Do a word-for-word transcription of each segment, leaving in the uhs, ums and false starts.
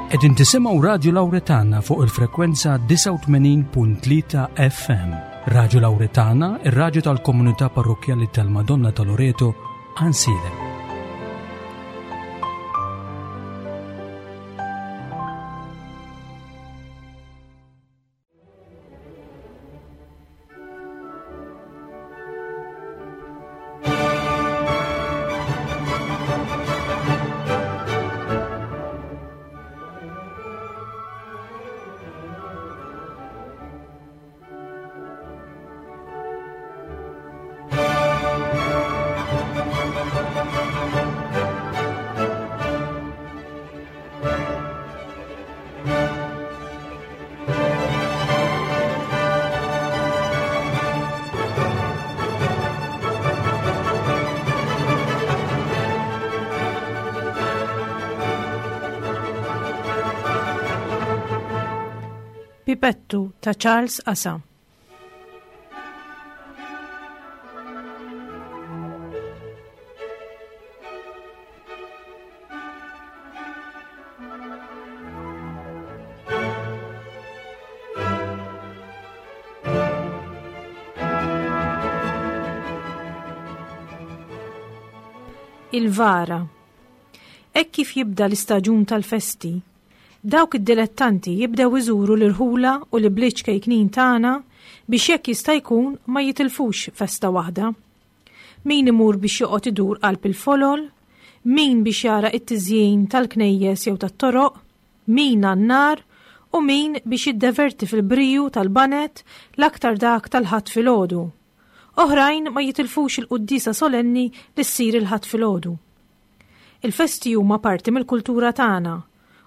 Qegħdin tisimgħu Radju Lawretana fuq il-frekwenza disgħa u tmenin punt tlieta F M. Radju Lawretana, ir-radju tal-komunità parrokkjali tal-Madonna ta' Loreto, Għajnsielem. Pipettu ta' Charles Asa. Il-vara. Hekk kif jibda l-istaġun tal-festi, dawk id-dilettanti jibdew iżuru l-irħula u l-bliet ċkejknin tagħna biex jekk jista' jkun ma jitilfux festa waħda. Min imur biex joqgħod idur qalb il-folol, min biex jara it-tiżjin tal-knejjes jew tat-toroq, min għan-nar u min biex jiddeverti fil-briju tal-banet l-aktar dak tal-Ħadd filgħodu. Oħrajn ma jitilfux il-quddiesa solenni li ssir il-Ħadd filgħodu. Il-festi huma parti mill-kultura tagħna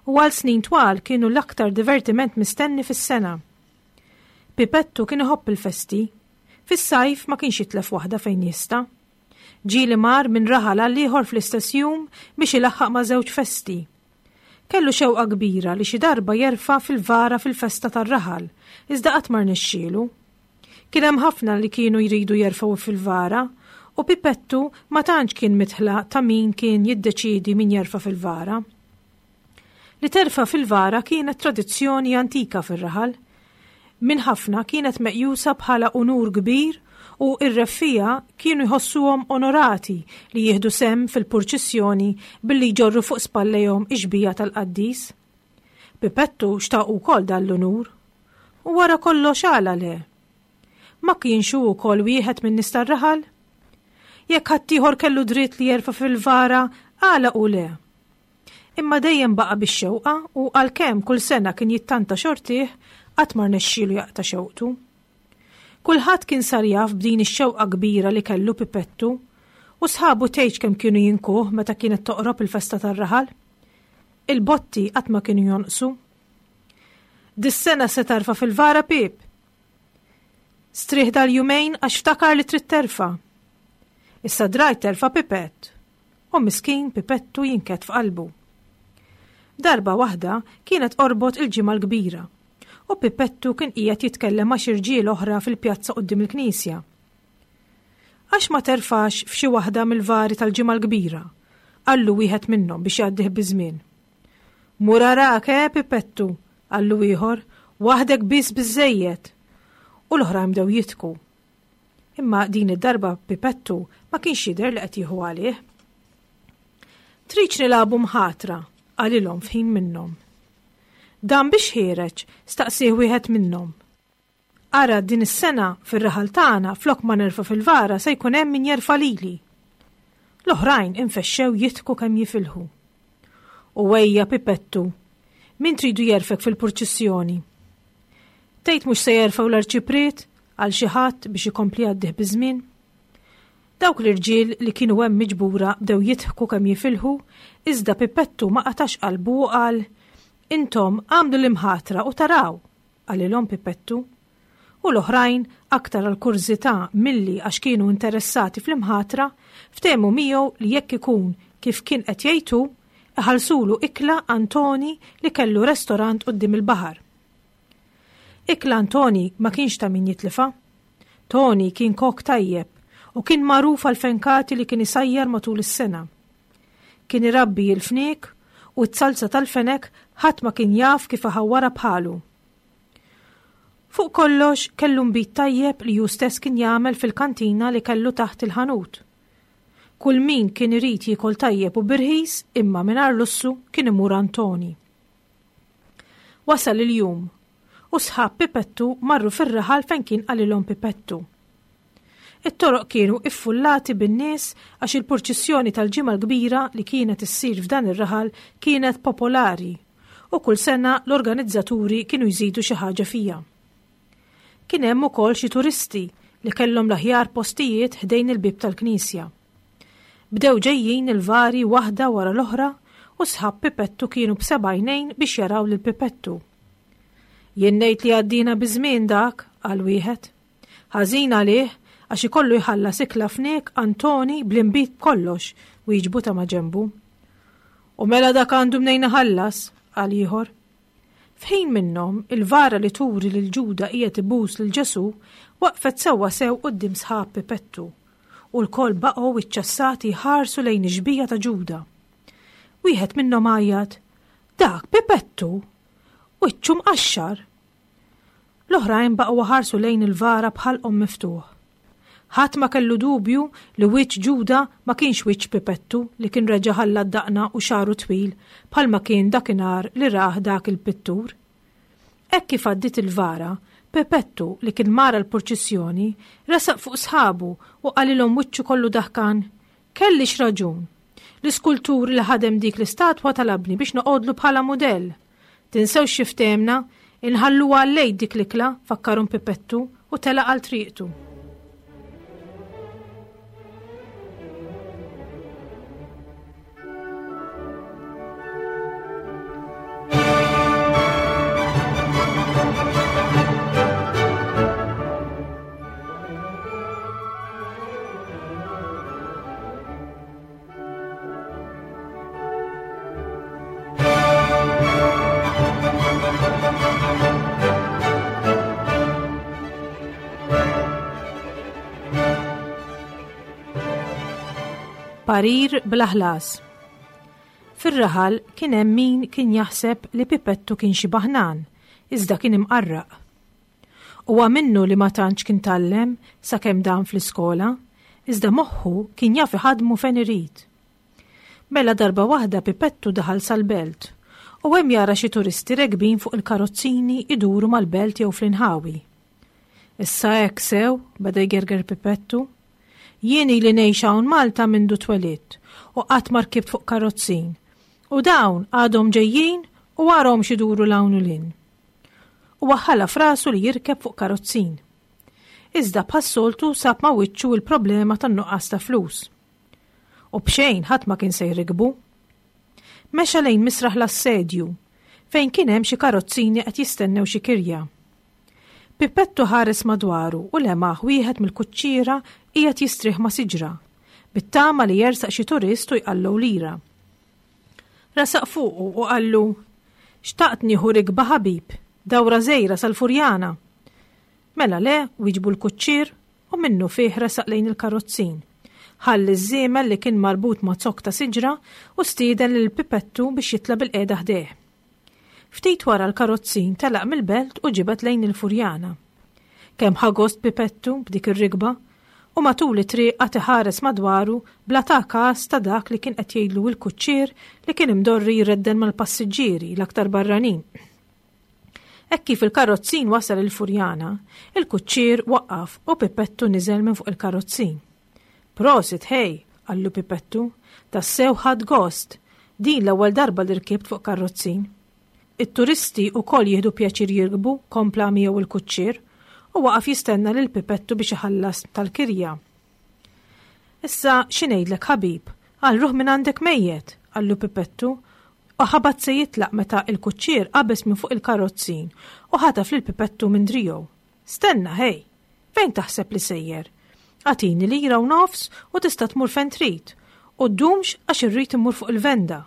u għal snin twal kienu l-aktar divertiment mistenni fis-sena. Pipettu kien iħobb il-festi. Fis-sajf ma kienx jitlef waħda fejn jista'. Ġieli mar minn raħal għal ieħor fl-istess jum biex ilaħħaq ma' żewġ festi. Kellu xewqa kbira li xi darba jerfa' fil-vara fil-festa tar-raħal, iżda qatt ma rnexxielu. Kien hemm ħafna li kienu jridu jerfgħu fil-vara u Pipettu ma tantx kien mitħla ta' min kien jiddeċiedi min jerfa' fil-vara. Li terfa' fil-vara kienet tradizzjoni antika fir-raħal. Min ħafna kienet meqjusa bħala unur kbir u r-reffija kienu jħossuhom onorati li jieħdu sem fil-purċissjoni billi jġorru fuq spallejhom ix-xbija tal-qaddis. Pipettu xtaq ukoll dan l-unur. U wara kollox għala le? Ma kienx hu wkoll wieħed minn nies tar-raħal? Jekk ħaddieħor kellu dritt li jerfa' fil-vara, għala u le? Imma dejjem baqa' bix-xewqa u għalkemm kull sena kien jittanta xortih, qatt ma rnexxielu jaqta' xewqtu. Kulħadd kien sar jaf b'din ix-xewqa kbira li kellu Pipettu u sħabu tgħidx kemm kienu jinkuh meta kienet toqrob il-festa tar-raħal. Il-botti qatt ma kienu jonqsu. Dis-sena se tarfa' fil-vara, Pip. Strieħ dal-jumejn għax ftakar li trid terfa'. Issa drajt terfa' Pipett. U miskin Pipettu jinket f'qalbu. Darba waħda kienet qorbot il-ġimgħa l-kbira u Pipettu kien qiegħed jitkellem ma' xi rġiel oħra fil-pjazza quddiem il-knisja. Għax ma terfax f'xi waħda mill-vari tal-ġimgħa l-kbira, qallu wieħed minnhom biex jgħaddih biż-żmien. Mur arak, eh, Pipettu, qallu ieħor, waħdek biss biżżejjed. U l-oħrajn bdew jitku. Imma din id-darba Pipettu ma kienx jidher li qed jieħu għalih. Tridx nilagħbu mħatra, qalilhom f'ħin minnhom. Dan biex ħiereġ, staqsih wieħed minnhom. Ara din is-sena fir-raħal tagħna flok ma nerfa' fil-vara se jkun hemm min jerfa' lili. L-oħrajn infexxew jitku kemm jifilħu. U ejja Pipettu, min tridu jerfek fil-purċissjoni? Tgħid mhux se jerfgħu l-arċipriet għal xi ħadd biex ikompli għaddih biż-żmien? Dawk l-irġiel li kienu hemm miġbura bdew jidħku kemm jifilħu, iżda Pipettu ma qatax qalbu u qal, Intom għamlu l-imħatra u taraw, qalilhom Pipettu. U l-oħrajn, aktar għal kurżità milli għax kienu interessati fl-imħatra, ftehmu miegħu li jekk ikun kif kien qed jgħidu, iħallsulu ikla Antoni li kellu restorant quddiem il-baħar. Ikla Antoni ma kienx ta' min jitlifa. Toni kien kok tajjeb u kien magħruf għal fenkati li kien isajjar matul is-sena. Kien irabbi l-fniek u t-salza tal-fenek Ħadd ma kien jaf kif iħawwarha bħalu. Fuq kollox kellu nbid tajjeb li hu stess kien jagħmel fil-kantina li kellu taħt il-ħanut. Kull min kien irid jiekol tajjeb u b'irħis imma mingħajr lussu kien imur għand Toni. Wasal il-jum u sħab Pipettu marru fir-raħal fejn kien qalilhom Pipettu. It-toroq kienu iffullati bin-nies għax il-purċissjoni tal-Ġimgħa l-Kbira li kienet issir f'dan ir-raħal kienet popolari u kull sena l-organizzaturi kienu jżidu xi ħaġa fiha. Kien hemm ukoll xi turisti li kellhom l-aħjar postijiet ħdejn il-bieb tal-knisja. Bdew ġejjin il-vari waħda wara l-oħra u sħab Pipettu kienu b'seba' għajnejn biex jaraw lil Pipettu. Jien ngħid li għaddina biż-żmien dak, qal wieħed. Ħażin għalih għax ikollu jħallas ikla fniek Antoni bl-inbid b'kollox, wieġbu ta' maġenbu. U mela dak għandu mnejn iħallas, qal ieħor. F'ħin minnhom, il-vara li turi lil Ġuda qiegħed ibus lil Ġesù waqfet sewwa sew quddiem sħab Pipettu, u lkoll baqgħu iċċassati jħarsu lejn ix-xbieha ta' Ġuda. Wieħed minnhom għajjat, Dak Pipettu! Wiċċu mqaxxar! L-oħrajn baqgħu ħarsu lejn il-vara b'ħalqhom miftuħ. Ħadd ma kellu dubju li wiċċ Ġuda ma kienx wiċċ Pipettu li kien reġa' ħalla d-daqna u xagħru twil bħalma kien dakinhar li rah dak il-pittur. Hekk kif għaddiet il-vara, Pipettu li kien mara l-purċissjoni resaq fuq sħabu u qalilhom wiċċu kollu daħkan, Kellix raġun. L-iskultur li ħadem dik l-istatwa talabni biex noqogħdlu bħala mudell. Tinsewx xi ftehemna, inħalluha għal-lejl dik l-ikla, fakkarhom Pipettu u telaq għal triqtu. Parir bla ħlas. Fir-raħal kien hemm min kien jaħseb li Pipettu kien xi baħnan, iżda kien imqarraq. Huwa minnu li ma tantx kien tgħallem sakemm dan fl-iskola, iżda moħħu kien jaf iħadmu fejn irid. Mela darba waħda Pipettu daħal sal-belt u hemm jara xi turisti rekbin fuq il-karozzini iduru mal-belt jew fl-inħawi. Issa hekk sew, beda jgerger Pipettu. Jien ili ngħix hawn Malta mindu twelidt u qatt ma rkibt fuq karozzin. U dawn għadhom ġejjin u warahom x'iduru 'l hawn u 'l hinn. U waħħalha f'rasu li jirkeb fuq karozzin. Iżda bħas-soltu sab ma' wiċċu l-problema tan-nuqqas ta' flus. U b'xejn ħadd ma kien se jrikbu. Mexa lejn misraħ l-assedju, fejn kien hemm xi karozzini qed jistennew xi kirja. Pipettu ħares madwaru u lemaħ wieħed mill-kuċċiera qiegħed jistrieħ ma' siġra, bit-tama li jersaq xi turist u jqallu lira. Resaq fuqu u qallu, Xtaqt nieħu rikba ħabib, dawra żgħira sal-Furjana. Mela le, wieġbu l-kuċċier u minnu fih resaq lejn il-karozzin. Ħalli ż-żiemel li kien marbut ma' zokk ta' siġra u stieden lil Pipettu biex jitla' bil-qiegħda ħdejh. Ftit wara l-karozzin telaq mill-belt u ġibed lejn il-Furjana. Kemm ħa gost Pipettu b'dik ir-rikba u matul it-triq qagħad iħares madwaru bla ta' każ ta' dak li kien qed jgħidlu l-kuċċier li kien imdorri jredden mal-passiġġieri l-aktar barranin. Hekk kif il-karozzin wasal il-Furjana, il-kuċċier waqqaf u Pipettu niżel minn fuq il-karozzin. Prosit, ħej, qallu Pipettu, tassew ħadt gost, din l-ewwel darba li rkibt fuq karrozzin. It-turisti wkoll jieħdu pjaċir jirkbu, kompla miegħu il-kuċċier, u waqaf jistenna lil Pipettu biex iħallas tal-kirja. Issa xi ngħidlek ħabib, għal ruħ minn għandek mejjet, qallu Pipettu, u ħabat se jitlaq meta il-kuċċier qabeż minn fuq il-karozzin u ħataf lil Pipettu minn driegħu. Stenna, ħej, fejn taħseb li sejjer? Agħtini lira u nofs u tista' tmur fejn trid, u ddumx għax irrid immur fuq il-venda.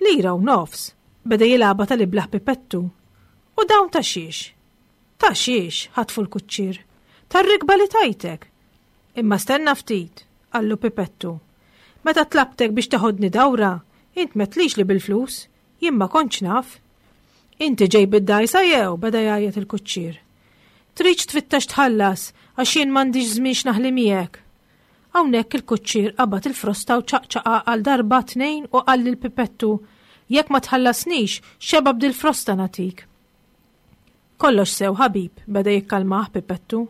Lira u nofs, beda jilgħabha tal-iblaħ Pipettu. U dawn ta' xiex? Ta' xiex, ħatfu l-kuċċier. Tar-rikba li tajtek. Imma stenna ftit, qallu Pipettu. Meta tlabtek biex teħodni dawra, int m'għedtlix li bil-flus, jien ma kontx naf. Inti ġej bid-dgħajsa jew? Beda jgħajjat il-kuċċier. Tridx tfittex tħallas għax jien m'għandix żmien x'naħli miegħek. Hawnhekk il-kuċċier qabad il-frosta u ċaqċaqa għal darba tnejn u qal lil Pipettu, jekk ma tħallasnix, xeba b'dil-frosta nagħtik. Kollox sew ħabib, beda jikkalmah Pipettu.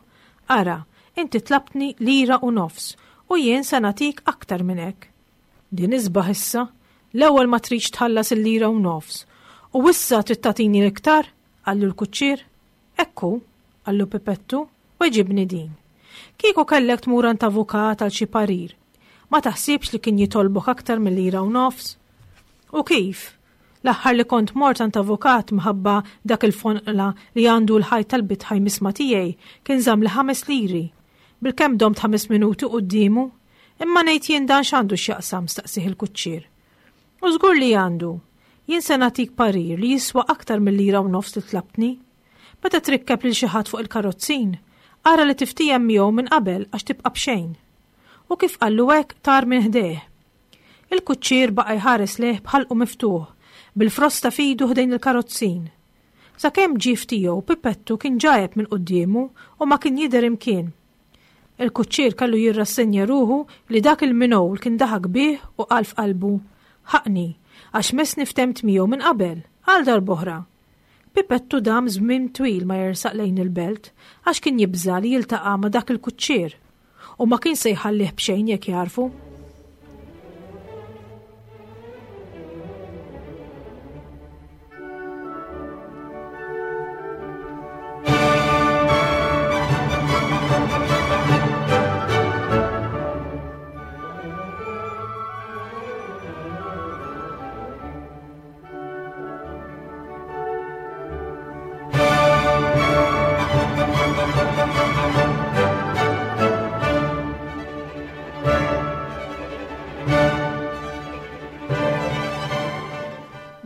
Ara, inti tlabtni lira u nofs u jien se nagħtik aktar minn hekk. Din isbaħ issa, l-ewwel ma tridx tħallas il-lira u nofs. U issa trid tagħtini l-iktar? Qallu l-kuċċier. Ekku, qallu Pipettu, weġibni din. Kieku kellek tmur għand avukat għal xi parir, ma taħsibx li kien jitolbok aktar mill-lira u nofs? U kif? L-aħħar li kont mort għand avukat mħabba dak il-fonqla li għandu l-ħajt tal-bitħaj misma tiegħi kien żamm li ħames liri. Bilkemm domt ħames minuti quddiemu. Imma ngħid jien dan x'għandu x'jaqsam, staqsih il-kuċċier. U żgur li għandu. Jien se nagħtik parir li jiswa aktar mill-lira u nofs li tlabtni. Meta trikkeb lil xi ħadd fuq il-karozzin, ara li tiftiehem miegħu minn qabel għax tibqa' b'xejn. U kif qallu hekk tar minn ħdejh. Il-kuċċier baqa' jħares lejh b'ħalqu miftuħ, bil-frosta f'idu ħdejn il-karozzin. Sakemm ġie f'tiegħu, Pipettu kien ġajeb minn quddiemu u ma kien jidher imkien. Il-kuċċier kellu jirrassenja ruħu li dak il-minowl kien daħak bih u qal f'qalbu, ħaqni, għax messni ftemt miegħu minn qabel, għal darb'oħra. Pipettu dam żmien twil ma jersaq lejn il-belt għax kien jibża' li jiltaqa' ma' dak il-kuċċier u ma kien se jħallih b'xejn jekk jarfu.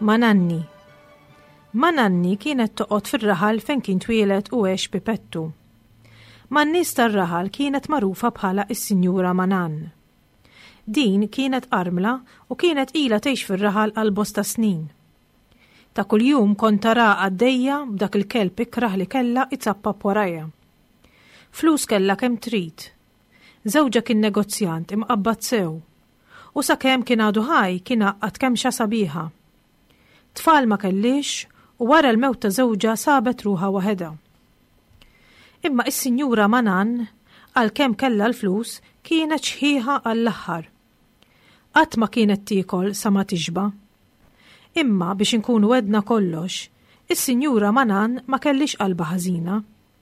Mananni. Mananni kienet toqgħod fir-raħal fejn kien twieled u għex Pipettu. Man-nies tar-raħal kienet magħrufa bħala is-Sinjura Manan. Din kienet armla u kienet ilha tgħix fir-raħal għal bosta snin. Ta' kuljum kont tara għaddejja b'dak il-kelb ikrah li kellha itzappap warajha. Flus kellha kemm trid. Żewġha kien negozjant imqabbad sew. U sakemm kien għadu ħaj kien għaqqad kemxa sabiħa. Tfal ma kellix u wara l-mewt ta' żewġha sabet ruħha waħedha. Imma is-Sinjura Manan, għalkemm kellha l-flus, kienet xħiħa għall-aħħar. Qatt ma kienet tiekol sa ma tixba. Imma biex inkunu għedna kollox, is-Sinjura Manan ma kellix qalba ħażina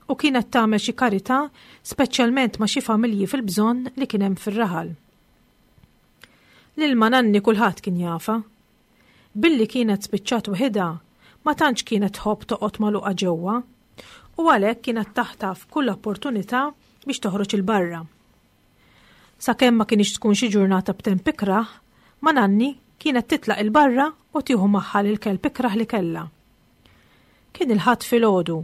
u kienet tagħmel xi karità speċjalment ma' xi familji fil-bżonn li kien hemm fir-raħal. Lil Mananni kulħadd kien jafa. Billi kienet spiċċat waħedha, ma tantx kienet tħobb toqgħod magħluqa ġewwa, u għalhekk kienet taħtaf kull opportunità biex toħroġ il-barra. Sakemm ma kienx tkun xi ġurnata b'temp ikrah, Mananni kienet titlaq il-barra u tieħu magħha lil kelb ikrah li kellha. Kien il-Ħadd filgħodu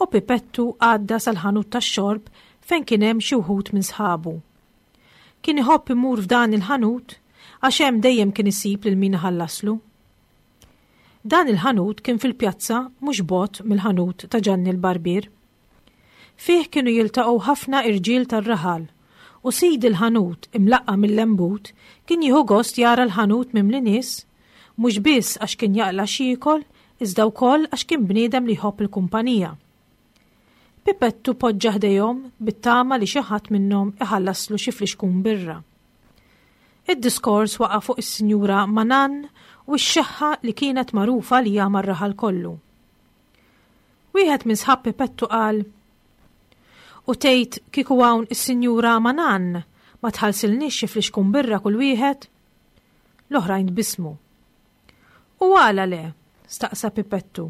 u Pipettu għadda sal-ħanut tax-xorb fejn kien hemm xi wħud minn sħabu. Kien iħobb imur f'dan il-ħanut għax hemm dejjem kien isib lil min iħallaslu. Dan il-ħanut kien fil-pjazza mhux bogħod mill-ħanut ta' Ġanni l-Barbier. Fih kienu jiltaqgħu ħafna irġiel tar-raħal u sid il-ħanut imlaqqa mill-lembut kien jieħu gost jara l-ħanut mimli nies, mhux biss għax kien jaqla' x'jiekol, iżda wkoll għax kien bniedem li jħobb il-kumpanija. Pipettu poġġa ħdejhom bit-tama li xi ħadd minnhom iħallaslu xi flixkun birra. Id-diskors waqa' fuq is-Sinjura Manan u x-xeħħa li kienet magħrufa li mar-raħal kollu. Wieħed minn sħab Pipettu qal, U tgħid kieku hawn is-Sinjura Manan ma tħallsilniex xi flixkun birra kull wieħed? L-oħrajn tbissmu. U għala le? Staqsa Pipettu.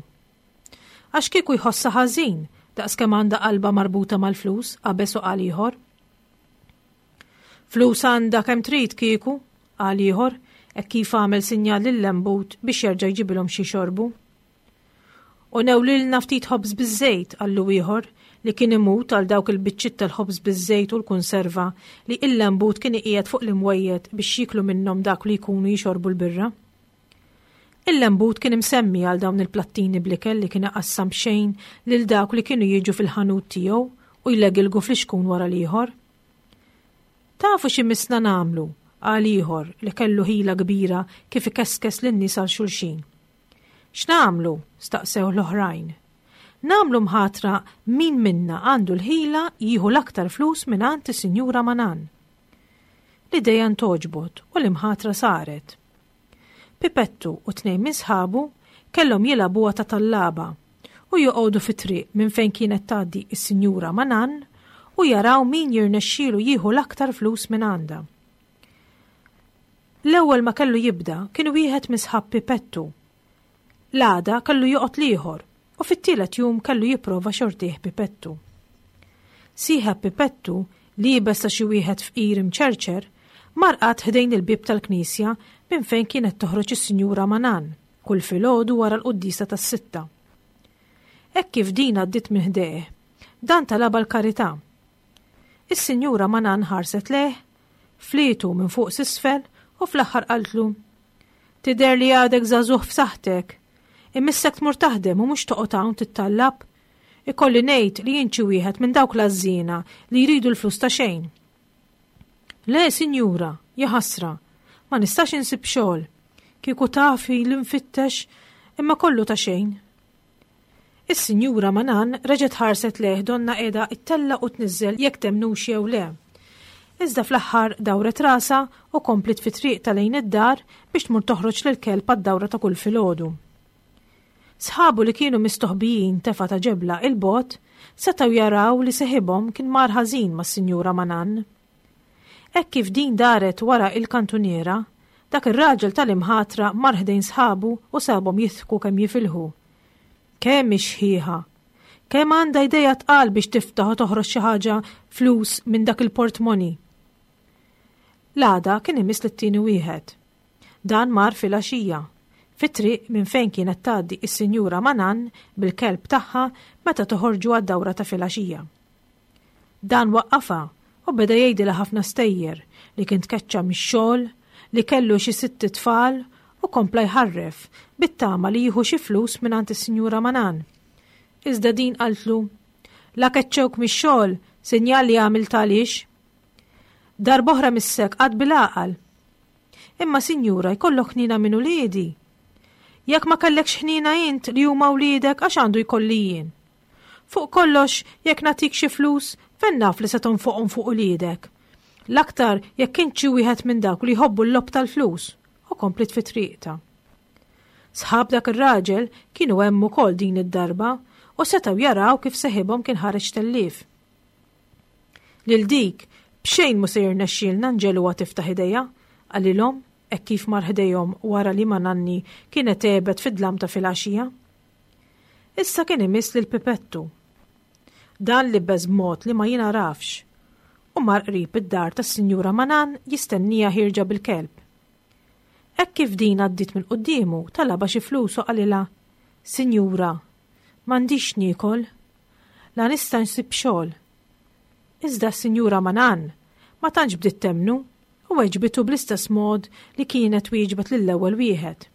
Għax kieku jħossha ħażin daqskemm għandha qalba marbuta mal-flus, qabeż u qal ieħor. Flus għandha kemm trid kieku, qal ieħor, hekk kif għamel sinjal lil-lembut biex jerġa' jġibilhom xi xorbu. U newlilna ftit ħobż biż-żejt, qallu ieħor, li kien imut għal dawk il-biċċiet tal-ħobż biż-żejt u l-kunserva li il-lembut kien iqiegħed fuq l-imwejjed biex jiklu minnhom dak li jkunu jixorbu l-birra. Il-lembut kien imsemmi għal dawn il-plattini bl-ikel li kien iqassam b'xejn lil dawk li kienu jiġu fil-ħanut tiegħu u jlegilgu fl-ixkun wara l-ieħor. Tafu x'imissna nagħmlu, qal ieħor li kellu ħila kbira kif ikeskes lin-nies għal xulxin. X'nagħmlu? Staqsew l-oħrajn. Nagħmlu mħatra min minna għandu l-ħila jieħu l-aktar flus mingħand is-Sinjura Manan. L-idea ntogħġbot u l-imħatra saret. Pipettu u tnejn minn sħabu kellhom jilagħbuha ta' tallaba u joqogħdu fit-triq minn fejn kienet tgħaddi is-Sinjura Manan u jaraw min jirnexxielu jieħu l-aktar flus minn għandha. L-ewwel ma kellu jibda kien wieħed minn sħab Pipettu. L-għada kellu joqgħod l-ieħor u fit-tielet jum kellu jipprova xortih Pipettu. Sieħeb Pipettu, liebes ta' xi wieħed fqir imċerċer, mar qagħad ħdejn il-bieb tal-knisja minn fejn kienet toħroġ is-Sinjura Manan kull filgħodu wara l-quddiesa tas-sitta. Hekk kif din għaddiet minn ħdejh, dan talabha l-karità. Is-Sinjura Manan ħarset lejh, flietu minn fuq s'isfel u fl-aħħar qaltlu: Tidher li għadek żagħżugħ f'saħħtek. Imissek tmur taħdem u mhux toqgħod hawn tittallab. Ikolli ngħid li jien xi wieħed minn dawk l-għażżiena li jridu l-flus ta' xejn. Le, sinjura, jaħasra, ma nistax insib xogħol. Kieku tafi li nfittex, imma kollu ta' xejn. Is-Sinjura Manan reġgħet ħarset lejh donnha qiegħda ttella' u tniżżel jekk temmnux jew le. Iżda fl-aħħar dawret rasha u kompliet fi triqtha lejn id-dar biex tmur toħroġ lill-kelb għad-dawra ta' kull filgħodu. Sħabu li kienu mistoħbijin tefa ta' ġebla 'l bogħod setgħu jaraw li seħibhom kien mar ħażin mas-Sinjura Manan. Hekk kif din daret wara il-kantuniera, dak ir-raġel tal-imħatra mar ħdejn sħabu u sabhom jidħku kemm jifilħu. Kemm hi xħiħa! Kemm għandha idejha tqal biex tiftaħ u toħroġ xi ħaġa flus minn dak il-portmoni. L-għada kien imiss lit-tieni wieħed. Dan mar filgħaxija, fit-triq minn fejn kienet tgħaddi is-Sinjura Manan bil-kelb tagħha meta toħorġu għad-dawra ta' filgħaxija. Dan waqqafha u beda jgħidilha ħafna stejjer li kien tkeċċa mix-xogħol, li kellu xi sitt tfal u kompla jħarref bit-tama li jieħu xi flus mingħand is-Sinjura Manan. Iżda din qaltlu: La keċċewk mix-xogħol, sinjal li għamilt għaliex. Darb'oħra missek qgħadt bil-għaqal. Imma sinjura jkollok ħniena minn uliedi. Jekk ma kellekx ħniena int li huma wliedek għax għandu jkolli jien. Fuq kollox, jekk nagħtik xi flus, fejn naf li se tonfoqhom fuq uliedek. L-aktar jekk int xi wieħed minn dawk li jħobbu l-logħob tal-flus, u kompliet fi triqtha. Sħab dak ir-raġel kienu hemm ukoll din id-darba u setgħu jaraw kif seħibhom kien ħareġ tellief. Lil dik b'xejn mhu se jirnexxielna nġegħluha tiftaħ idejha, qalilhom hekk kif mar ħdejhom wara li Mananni kienet għebet fid-dlam ta' filgħaxija. Issa kien imiss lil Pipettu. Dan libes b'mod li ma jingħarafx u mar qrib id-dar tas-Sinjura Manan jistenniha ħierġa bil-kelb. Hekk kif din għaddiet minn quddiemu talabha xi flus u qalilha: Sinjura, m'għandix niekol, la nista' nsib xogħol. Iżda s-Sinjura Manan ma tantx bdiet temmnu u weġbitu bl-istess mod li kienet wieġbet lill-ewwel wieħed.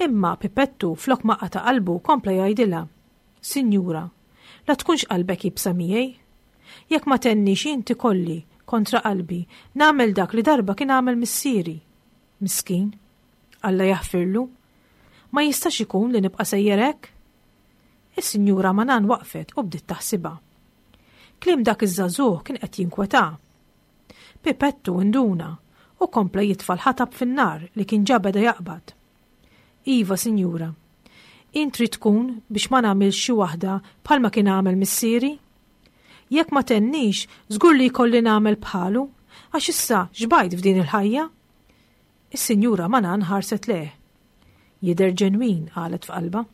Imma Pipettu flok ma qata' qalbu kompla jgħidilha: Sinjura, la tkunx qalbek iebsa miegħi. Jekk ma tgħinnix inti kolli kontra qalbi nagħmel dak li darba kien għamel missieri. Miskin, Alla jaħfirlu. Ma jistax ikun li nibqa' sejjer hekk? Is-Sinjura Manan waqfet u bdiet taħsibha. Kliem dak iż-żagħżugħ kien qed jinkwetah. Pipettu induna u kompla jitfa' l-ħatab fin-nar li kien ġa beda jaqbad. Iva, sinjura, int trid tkun biex ma nagħmilx xi waħda bħalma kien għamel missieri? Jekk ma tgħinnix, żgur li jkolli nagħmel bħalu, għax issa xbajt f'din il-ħajja. Is-Sinjura Manan ħarset lejh. Jidher ġenwin, qalet f'qalbha.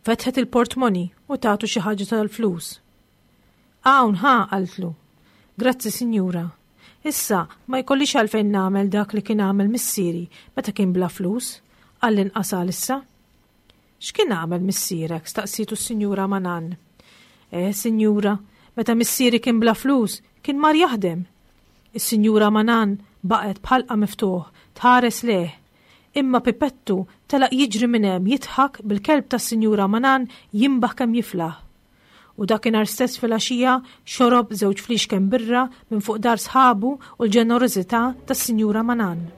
Fetħet il-portmoni u tatu xi ħaġa tal-flus. Hawn ħa, qaltlu. Grazzi, sinjura. Issa ma jkollix għalfejn nagħmel dak li kien għamel missieri meta kien bla flus, għall-inqas għalissa. X'kien għamel missierek? Staqsitu s-Sinjura Manan. Eh, sinjura, meta missieri kien bla flus, kien mar jaħdem. Is-Sinjura Manan baqgħet b'ħalqha miftuħ, tħares lejh. Imma Pipettu telaq jiġri minn hemm jidħak bil-kelb tas-Sinjura Manan jimbaħ kemm jiflaħ. U dakinhar stess filgħaxija xorob żewġ fliexken birra minn fuq dar sħabu u l-ġenerożità tas-Sinjura Manan.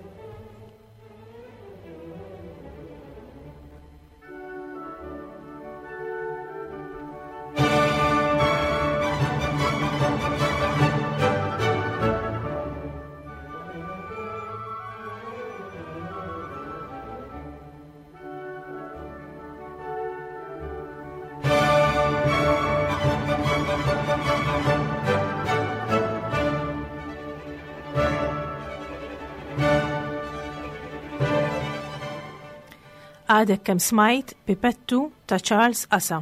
Għadek kemm smajt Pipettu ta' Charles Asa.